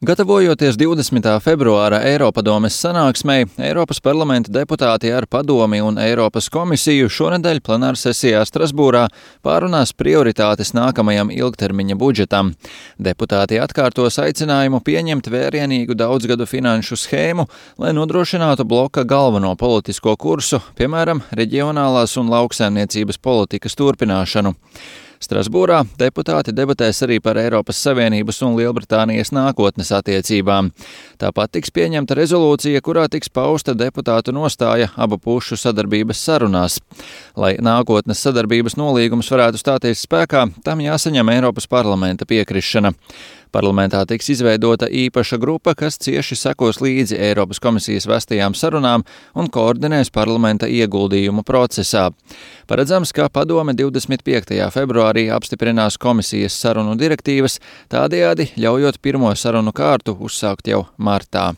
Gatavojoties 20. februāra Eiropadomes sanāksmei, Eiropas parlamenta deputāti ar Padomi un Eiropas komisiju šonedēļ plenārsesijā Strasbūrā pārunās prioritātes nākamajam ilgtermiņa budžetam. Deputāti atkārtos aicinājumu pieņemt vērienīgu daudzgadu finanšu schēmu, lai nodrošinātu bloka galveno politisko kursu, piemēram, reģionālās un lauksaimniecības politikas turpināšanu. Strasbūrā deputāti debatēs arī par Eiropas Savienības un Lielbritānijas nākotnes attiecībām. Tāpat tiks pieņemta rezolūcija, kurā tiks pausta deputātu nostāja abu pušu sadarbības sarunās. Lai nākotnes sadarbības nolīgums varētu stāties spēkā, tam jāsaņem Eiropas parlamenta piekrišana. Parlamentā tiks izveidota īpaša grupa, kas cieši sekos līdzi Eiropas komisijas vestajām sarunām un koordinēs parlamenta ieguldījumu procesā. Paredzams, ka Padome 25. februārī apstiprinās komisijas sarunu direktīvas, tādējādi ļaujot pirmo sarunu kārtu uzsākt jau martā.